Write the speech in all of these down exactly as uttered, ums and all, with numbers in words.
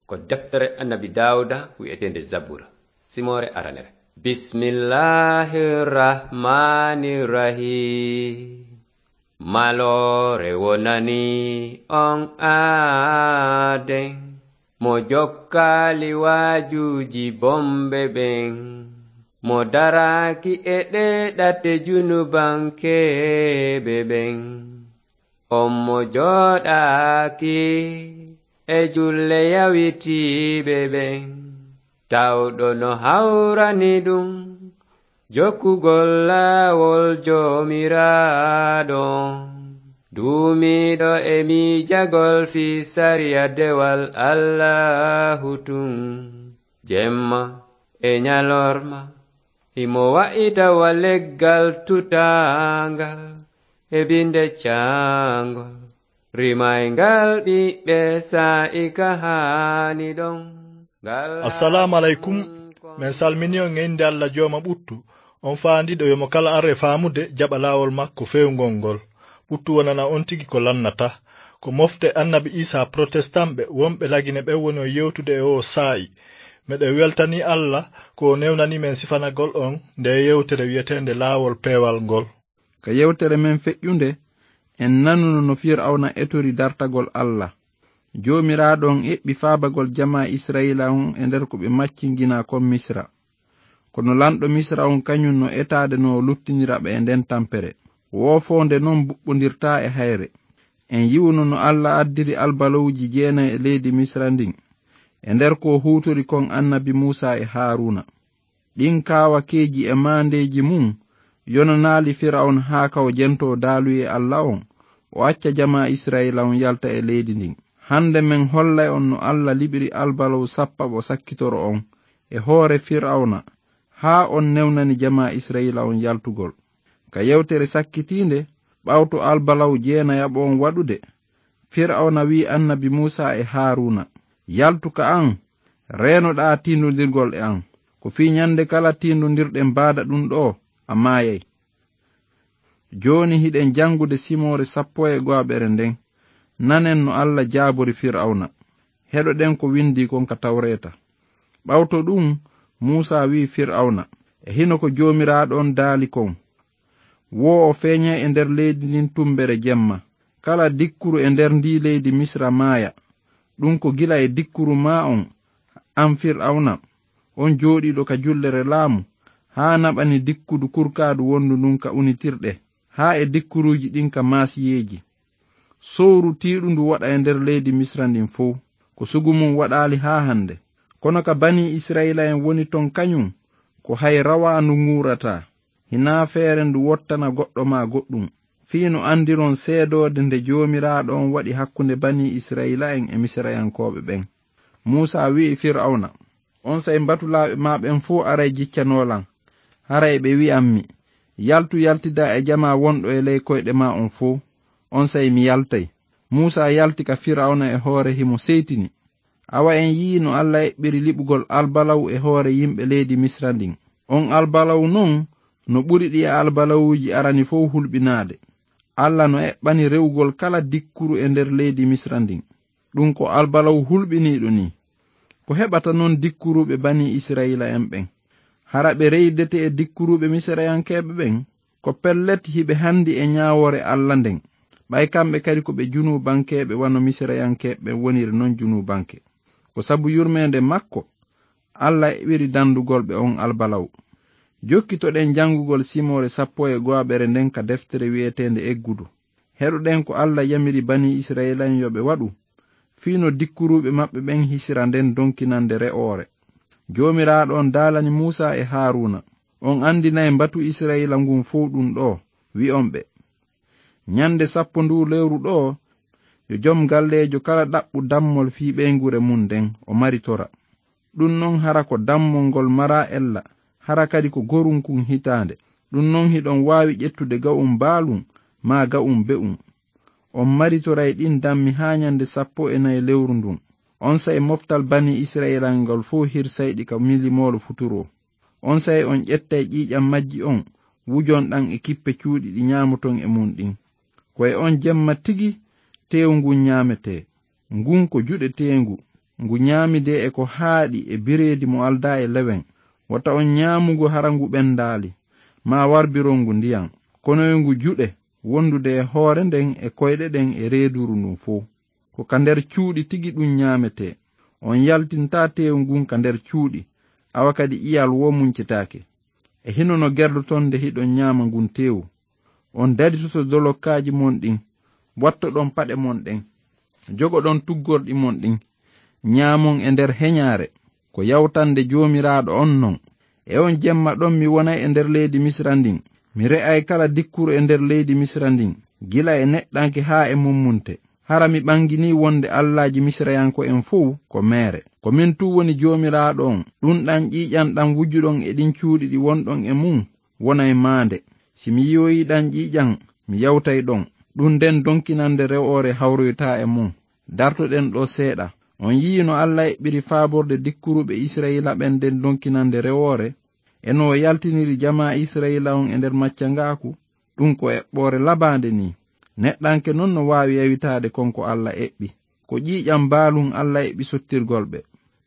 Ko deftere Annabi Daawuda wi'eteende Zabura, simoore aranere. Bismillahir Rahmanir Rahim. Maloore wonani on aaden, mo jokkaali waajuuji bonɓe ɓen, mo daraaki e ɗee ɗate junubankeeɓe ɓen. On mo jooɗaaki e julle yawitiiɓe ɓen, tawɗo no hawrani ɗum jokkugol laawol Joomiraaɗo. Duumiiɗo e miijagol fii sariya dewal Allaahu tun, jemma e ñalorma, himo wa'ita wa leggal tutaangal e binde caangol, rimayngal ɓiɓɓe saa'i ka haani ɗon. Ngal Assalaamu aleykum. Men salmini on e innde Alla Jooma ɓuttu, on faandiiɗo yo mo kala ar e faamude jaɓa laawol makko feewngol ngol. Ɓuttu wonana on tigi ko lannata. Ko mofte Annabi Iisaa Protestanɓe wonɓe Lagine ɓen woni on yewtude e oo saa'i. Meɗen weltanii Alla ko o newnanii men sifanagol on ndee yewtere wi'eteende Laawol Peewal ngol. Ka yewtere men feƴƴunde, en nanuno no Fir'awna etori dartagol Alla. Joomiraaɗo on eɓɓi faabagol jamaa Isra'iila on e nder ko ɓe maccinginaa kon Misra. Kono lanɗo Misra on kañun no etaade no o luttinira ɓe e nden tampere. Woofoonde non buɓɓondirtaa e hayre. En yi'uno no Alla addiri albalawuuji jeenay e leydi Misra ndin, e nder ko o huutori kon Annabi Muusaa e Haaruuna. Ɗin kaawakeeji e maandeeji mun yonanaali Fir'awna haa ka o jentoo daaluyee Alla on, o acca jamaa Isra'iila on yalta e leydi ndin. Hande men hollay on no Alla liɓiri albalaw sappaɓo sakkitoro on e hoore Fir'awna, haa on newnani jamaa Isra'iila on yaltugol. Ka yewtere sakkitiinde, ɓawto albalaw jeenayaɓo on waɗude, Fir'awna wi'i Annabi Muusaa e Haaruuna, "Yaltu ka an, reenoɗaa tiindondirgol e an. Ko fii ñande kala tiindondirɗen baada ɗun ɗoo, a maayay." Jooni hiɗen jangude simoore sappo e go'aɓere nden. Nanen no Alla jaabori Fir'awna. Heɗoɗen ko windii kon ka Tawreeta. Ɓawto ɗun, Muusaa wi'i Fir'awna, "E hino ko Joomiraaɗo on daali kon. Woo o feeñay e nder leydi ndin tumbere jemma. Kala dikkuru e nder ndii leydi Misra maaya. Ɗun ko gila e dikkuru maa on, an Fir'awna, on jooɗiiɗo ka jullere laamu, haa naɓani dikkudu kurkaadu wondu ndun ka unitirɗe, haa e dikkuruuji ɗin ka maasiyeeji. Sowru tiiɗundu waɗa e nder leydi Misra ndin fow, ko sugu mun waɗaali haa hande. Kono ka banii Isra'iila'en woni ton kañun, ko hay rawaandu ŋuurataa, hinaa feere ndu wottana goɗɗo maa goɗɗun, fii no andiron seedoode nde Joomiraaɗo on waɗi hakkunde banii Isra'iila'en e Misirayankooɓe ɓen." Muusaa wi'i Fir'awna, "Onsay mbatulaaɓe maa ɓen fow aray jiccanoo lan. Haray ɓe wi'an mi, 'Yaltu yaltidaa e jamaa wonɗo e ley koyɗe maa on fow.' Onsay mi yaltay." Muusaa yalti ka Fir'awna e hoore himo seytini. Awa en yi'ii no Alla eɓɓiri liɓugol albalaw e hoore yimɓe leydi Misra ndin. On albalaw non no ɓuri ɗi albalawuuji arani fow hulɓinaade. Alla no eɓɓani rewugol kala dikkuru e nder leydi Misra ndin. Ɗun ko albalaw hulɓiniiɗo nii. Ko heɓata non dikkuruuɓe banii Isra'iila'en ɓen? Hara ɓe reydete e dikkuruuɓe Misirayankeeɓe ɓen? Ko pellet hiɓe handi e ñaawoore Alla nden. Ɓay kamɓe kadi ko ɓe junuubankeeɓe wano Misirayankeeɓe ɓen woniri non junuubanke. Ko sabu yurmeende makko, Alla eɓɓiri dandugol ɓe on albalaw. Jokkitoɗen jangugol simoore sappo e go'aɓere nden ka deftere wi'eteende Eggudu. Heɗoɗen ko Alla yamiri banii Isra'iila'en yo ɓe waɗu, fii no dikkuruuɓe maɓɓe ɓen hisira nden donkinande re'oore. Joomiraaɗo on daalani Muusaa e Haaruuna. On andinay mbatu Isra'iila ngun fow ɗun ɗoo, wi'on ɓe, "Ñande sappo nduu lewru ɗoo, yo jom galleejo kala ɗaɓɓu dammol fii ɓeynguure mun nden, o maritora. Ɗun non hara ko dammol ngol maraa ella, hara kadi ko gorunkun hitaande. Ɗun non hiɗon waawi ƴettude ga'un baalun, maa ga'un be'un. On maritoray ɗin dammi haa ñande sappo e nayi lewru ndun. Onsay moftal banii Isra'iila ngol fow hirsay ɗi ka milimoolo futuroo. Onsay on ƴettay ƴiiƴan majji on, wujon ɗan e kippe cuuɗi ɗi ñaamoton e mun ɗin. Ko e on jemma tigi teewu ngun ñaametee. Ngun ko juɗeteengu, ngu nyaamidee e ko haaɗi e bireedi mo aldaa e lewen. Wota on nyaamu ngu hara ngu ɓendaali, maa warbiron ngu ndiyan. Kono yo ngu juɗe, wondude e hoore nden e koyɗe ɗen e reeduru ndun fow. Ko ka nder cuuɗi tigi ɗun nyaametee. On yaltintaa teewu ngun ka nder cuuɗi, awa kadi ƴiyal woo muncitaake. E hino no gerdoton nde hiɗon nyaama ngun teewu. On daditoto dolokkaaji mon ɗin, wattoɗon paɗe mon ɗen, jogoɗon tuggorɗi mon ɗin, nyaamon e nder heɲaare. Ko yawtande Joomiraaɗo on non. E on jemma ɗon mi wonay e nder leydi Misira ndin. Mi re'ay kala dikkuru e nder leydi Misira ndin, gila e neɗɗanke haa e mummunte. Hara mi ɓanginii wonde allaaji Misirayanko'en fow ko meere. Ko min tun woni Joomiraaɗo on. Ɗun ɗan ƴiiƴan ɗan wujuɗon e ɗin cuuɗi ɗi wonɗon e mun, wonay maande. Si mi yi'oyii ɗan ƴiiƴan, mi yawtay ɗon. Ɗun nden donkinande rewoore hawroytaa e mun. Dartoɗen ɗoo seeɗa. On yi'ii no Alla eɓɓiri faaborde dikkuruɓe Isra'iila ɓen nden donkinande rewoore? E no o yaltiniri jamaa Isra'iila on e nder maccangaaku? Ɗun ko eɓɓoore labaande nii. Neɗɗanke non no waawi yawitaade kon ko Alla eɓɓi. Ko ƴiiƴan baalun Alla eɓɓi sottirgol ɓe.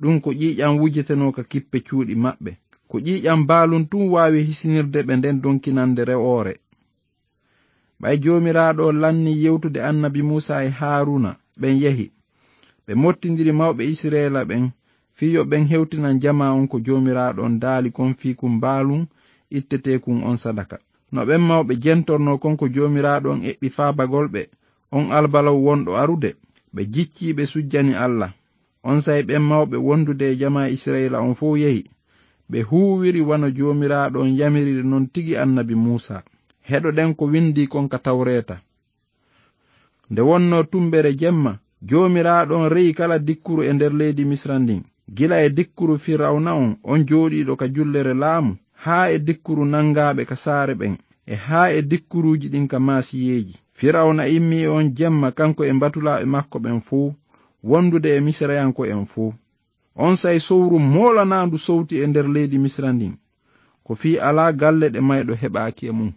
Ɗun ko ƴiiƴan wujetenoo ka kippe cuuɗi maɓɓe. Ko ƴiiƴan baalun tun waawi hisinirde ɓe nden donkinande rewoore. Ɓay Joomiraaɗo lannii yewtude annabi Muusaa e Haaruuna, ɓen yahi. Ɓe mottindiri mawɓe Isra'iila ɓen, fii yo ɓen hewtinan jamaa on ko Joomiraaɗo on daali kon fii kun baalun itteteekun on sadaka. No ɓen mawɓe jentornoo kon ko Joomiraaɗo on eɓɓi faabagol ɓe, on albalaw wonɗo arude, ɓe jiccii ɓe sujjani Alla. Onsay ɓen mawɓe wondude e jamaa Isra'iila on fow yehi. Ɓe huuwiri wano Joomiraaɗo on yamiriri non tigi annabi Muusaa. Heɗoɗen ko windii kon ka Tawreeta. Nde wonnoo tumbere jemma, Joomiraaɗo on re'i kala dikkuru e nder leydi Misira ndin, gila e dikkuru Firawna on, on jooɗiiɗo ka jullere laamu, haa e dikkuru nangaaɓe ka saare ɓen, e haa e dikkuruuji ɗin ka maasiyeeji. Firawna immii e on jemma, kanko e mbatulaaɓe makko ɓen fow, wondude e Misirayanko'en fow. Onsay sowru moolanaandu sowti e nder leydi Misira ndin, ko fii alaa galle ɗe mayɗo heɓaaki e mun.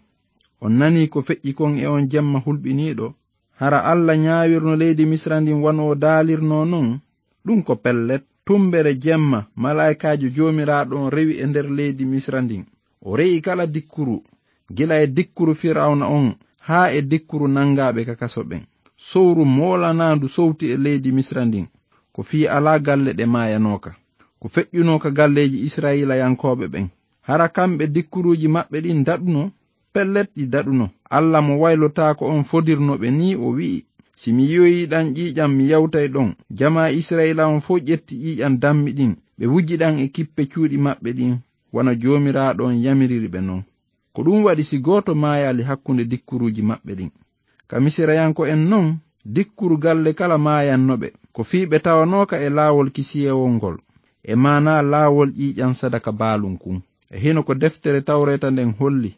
On nanii ko feƴƴi kon e on jemma hulɓiniiɗo? Hara Alla ɲaawirno leydi Misira ndin wano o daalirnoo non? Ɗun ko pellet. Tumbere jemma, malaa'ikaajo Joomiraaɗo on rewi e nder leydi Misira ndin. O re'i kala dikkuru, gila e dikkuru Firawna on haa e dikkuru nangaaɓe ka kaso ɓen. Sowru moolanaandu sowti e leydi Misira ndin, ko fii alaa galle ɗe maayanooka, ko feƴƴunoo ka galleeji Isra'iilayankooɓe ɓen. Hara kamɓe dikkuruuji maɓɓe ɗin daɗuno? Pellet, ɗi daɗuno. Alla mo waylotaako on fodirno ɓe nii, o wi'i, "Si mi yi'oyii ɗan ƴiiƴan, mi yawtay ɗon." Jamaa Isra'iila on fow ƴetti ƴiiƴan dammi ɗin, ɓe wuji ɗan e kippe cuuɗi maɓɓe ɗin, wano Joomiraaɗo on yamiriri ɓe non. Ko ɗun waɗi si gooto maayaali hakkunde dikkuruuji maɓɓe ɗin. Ka Misirayanko'en non, dikkuru galle kala maayanno ɓe, ko fii ɓe tawanooka e laawol kisiyewol ngol, e maanaa laawol ƴiiƴan sadaka baalun kun. E hino ko deftere Tawreeta nden holli.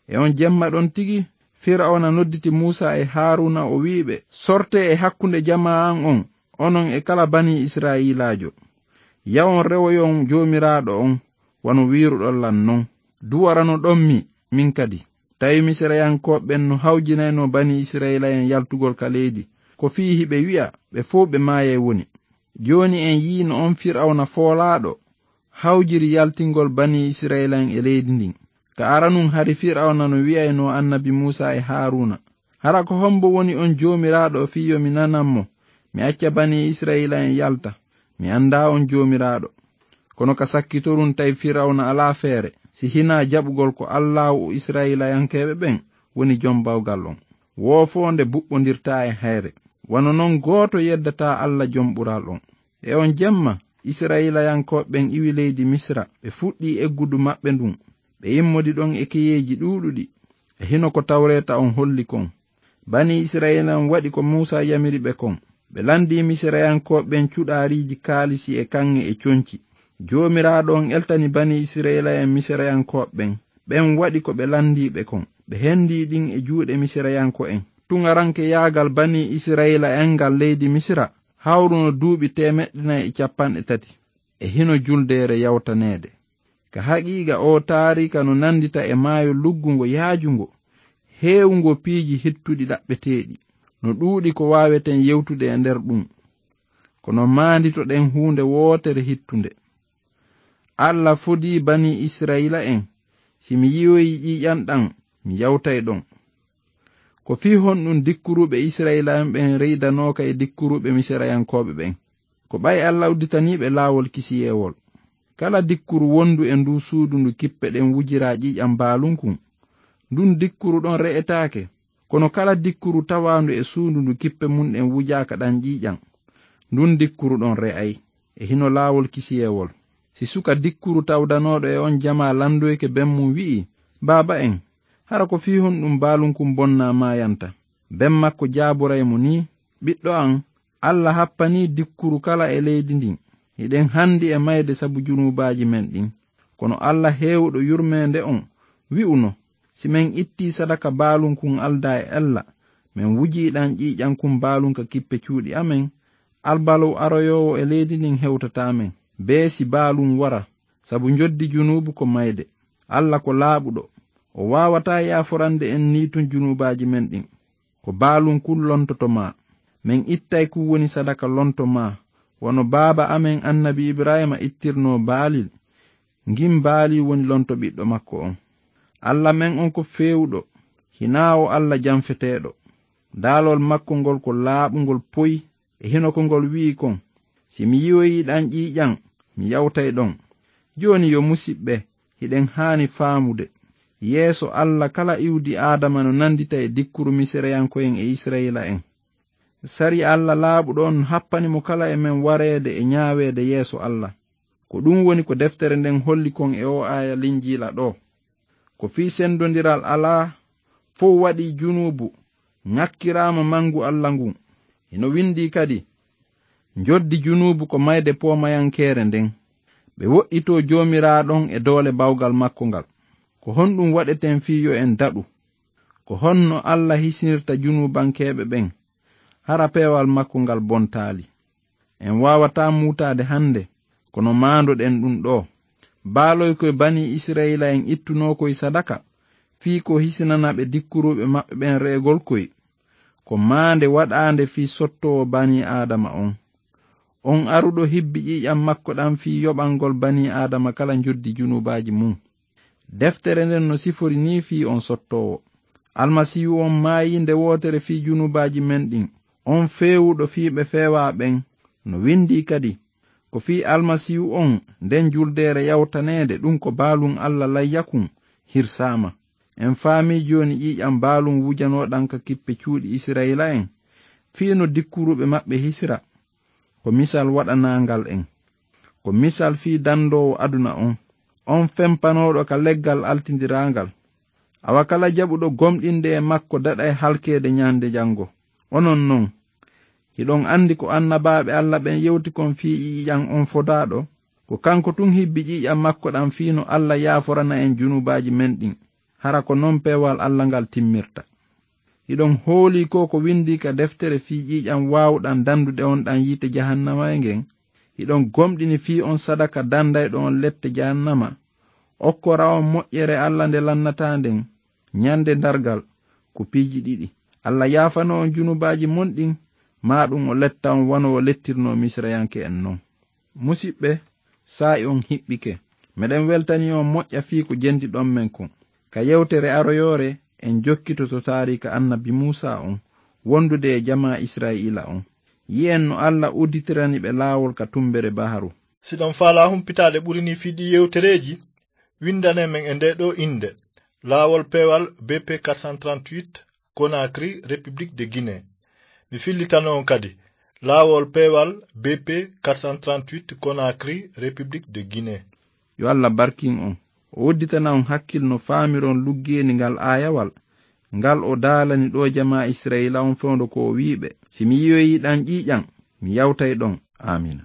E on jemma ɗon tigi, Firawna nodditi Muusaa e Haaruuna, o wi'i ɓe, "Sortee e hakkunde jamaa an on, onon e kala banii Isra'iilaajo. Yawon rewoyon Joomiraaɗo on, wano wi'iruɗon lan non. Du'oranoɗon mi, min kadi." Tawi Misirayankooɓe ɓen no hawjinaynoo banii Isra'iila'en yaltugol ka leydi, ko fii hiɓe wi'a ɓe fow ɓe maayay woni. Jooni en yi'ii no on Firawna foolaaɗo hawjiri yaltingol banii Isra'iila'en e leydi ndin. Ka aranun hari Firawna no wi'aynoo annabi Muusaa e Haaruuna, "Hara ko hombo woni on Joomiraaɗo fii yo mi nanan mo, mi acca banii Isra'iila'en yalta? Mi andaa on Joomiraaɗo." Kono ka sakkitorun tawi Firawna alaa feere, si hinaa jaɓugol ko Allaahu Isra'iilayankeeɓe ɓen woni jom bawgal on. Woofoonde buɓɓondirtaa e hayre. Wano non gooto yeddataa Alla jom ɓural on. E on jemma, Isra'iilayankooɓe ɓen iwi leydi Misira, ɓe fuɗɗii eggudu maɓɓe ndun. Ɓe immodi ɗon e keyeeji ɗuuɗuɗi, e hino ko Tawreeta on holli kon. Banii Isra'iila on waɗi ko Muusaa yamiri ɓe kon. Ɓe landii Misirayankooɓe ɓen cuɗaariiji kaalisi e kaŋŋe e conci. Joomiraaɗo on eltani banii Isra'iila en Misirayankooɓe ɓen. Ɓen waɗi ko ɓe landii ɓe kon. Ɓe hendii ɗin e juuɗe Misirayanko'en. Tuŋarankeyaagal banii Isra'iila en ngal leydi Misira hawruno duuɓi teemeɗɗe nayi e cappanɗe tati. E hino juldeere yawtaneede. Ka haqiiqa, oo taariika no nandita e maayo luggungo yaajungo, heewungo piiji hittuɗi ɗaɓɓeteeɗi. No ɗuuɗi ko waaweten yewtude e nder ɗun. kono maanditoɗen huunde wootere hittunde. Alla fodii banii Isra'iila'en, si mi yi'oyii ƴiiƴan ɗan, mi yawtay ɗon. Ko fii honɗun dikkuruuɓe Isra'iila'en ɓen reydanooka e dikkuruuɓe Misirayankooɓe ɓen? Ko ɓay Alla udditanii ɓe laawol kisiyeewol. Kala dikkuru wondu e nduu suudu ndu kippe ɗen wujiraa ƴiiƴan baalunkun, ndun dikkuru ɗon re'etaake. Kono kala dikkuru tawaandu e suudu ndu kippe mun ɗen wujaaka ɗan ƴiiƴan, ndun dikkuru ɗon re'ay. E hino laawol kisiyeewol. Si suka dikkuru tawdanooɗo e on jamaa landoyke ben mun wi'i, "Baaba'en, hara ko fii honɗun baalunkun bonnaa maayanta?" Ben makko jaaburay mo nii, "Ɓiɗɗo an, Alla happanii dikkuru kala e leydi ndin. Hiɗen handi e mayde sabu junuubaaji men ɗin." Kono Alla heewuɗo yurmeende on wi'uno, "Si men ittii sadaka baalunkun aldaa e Alla, men wujii ɗan ƴiiƴan kun baalun ka kippe cuuɗi amen, albalow aroyoowo e leydi ndin hewtataa men, bee si baalun wara, sabu njoddi junuubu ko mayde. Alla ko laaɓuɗo, o waawataa yaaforande en nii tun junuubaaji men ɗin. Ko baalun kun lontoto maa. Men ittay kun woni sadaka lonto maa, wano baaba amen annabi Ibrahiima ittirnoo baalil. Ngin baalii woni lonto ɓiɗɗo makko on. Alla men on ko feewuɗo, hinaa o Alla janfeteeɗo. Daalol makko ngol ko laaɓungol poy, e hino ko ngol wi'i kon, 'Si mi yi'oyii ɗan ƴiiƴan, mi yawtay ɗon.'" Jooni yo musiɓɓe, hiɗen haani faamude, yeeso Alla kala iwdi Aadama no nandita e dikkuru Misirayanko'en e Isra'iila'en. Sariya Alla laaɓuɗo on happani mo kala e men wareede e ñaaweede yeeso Alla. Ko ɗun woni ko deftere nden holli kon e oo aaya Linjiila ɗoo. Ko fii sendondiral alaa, fow waɗii junuubu, ŋakkiraama mangu Alla ngun. Hino windii kadi, "Njoddi junuubu ko mayde poomayankeere nden. Ɓe woɗɗitoo Joomiraaɗo on e doole bawgal makko ngal." Ko honɗun waɗeten fii yo en daɗu? Ko honno Alla hisinirta junuubankeeɓe ɓen? Hara peewal makko ngal bontaali. En waawataa muutaade hande, kono maandoɗen ɗun ɗoo. Baaloy koy banii Isra'iila'en ittunoo koy sadaka, fii ko hisinana ɓe dikkuruuɓe maɓɓe ɓen re'egol koy. Ko maande waɗaande fii sottoowo banii Aadama on. On aruɗo hibbi ƴiiƴan makko ɗan fii yoɓangol banii Aadama kala njoddi junuubaaji mun. Deftere nden no sifori nii fii on sottoowo. Almasiihu on maayii nde wootere fii junuubaaji men ɗin. On feewuɗo fii ɓe feewaa ɓen. No windii kadi, "Ko fii Almasiihu on nden juldeere yawtaneede, ɗun ko baalun Alla layyakun, hirsaama." En faamii jooni ƴiiƴan baalun wujanooɗan ka kippe cuuɗi Isra'iila'en, fii no dikkuruuɓe maɓɓe hisira. Ko misal waɗanaangal en. Ko misal fii dandoowo aduna on, on fempanooɗo ka leggal altindiraangal. Awa kala jaɓuɗo gomɗinde e makko daɗay halkeede ñande jango. Onon non, hiɗon andi ko annabaaɓe Alla ɓen yewti kon fii ƴiiƴan on fodaaɗo? Ko kanko tun hibbi ƴiiƴan makko ɗan fii no Alla yaaforana en junuubaaji men ɗin. Hara ko non peewal Alla ngal timmirta. Hiɗon hoolii ko ko windii ka deftere fii ƴiiƴan waawuɗan dandude on ɗan yiite jahannama e ngen? Hiɗon gomɗini fii on sadaka dandayɗo on lette jahannama, okkora on moƴƴere Alla nde lannataa nden, ñande dargal, ko piiji ɗiɗi. Alla yaafano on junubaaji mon ɗin, maa ɗum o letta on wano o lettirnoo Misirayanke'en non. Musiɓɓe, saa'i on hiɓɓike. Meɗen weltanii on moƴƴa fii ko jendiɗon men kon. Ka yewtere aroyoore, en jokkitoto taariika annabi Muusaa on, wondude e jamaa Isra'iila on. Yi'en no Alla udditirani ɓe laawol ka tumbere baharu. Si ɗon faalaa humpitaade ɓuri nii fii ɗii yewtereeji, winndane men e ndee ɗoo innde, Laawol Peewal B P quatre cent trente-huit, Conakry, République de Guinée. Mi fillitano on kadi, Laawol Peewal B P quatre cent trente-huit, Conakry, République de Guinée. Yo Alla barkin on. O udditana on hakkil no faamiron luggeeni ngal aayawal, ngal o daalani ɗoo jamaa Isra'iila on fewndo ko o wi'i ɓe, "Si mi yi'oyii ɗan ƴiiƴan, mi yawtay ɗon." Aamiina.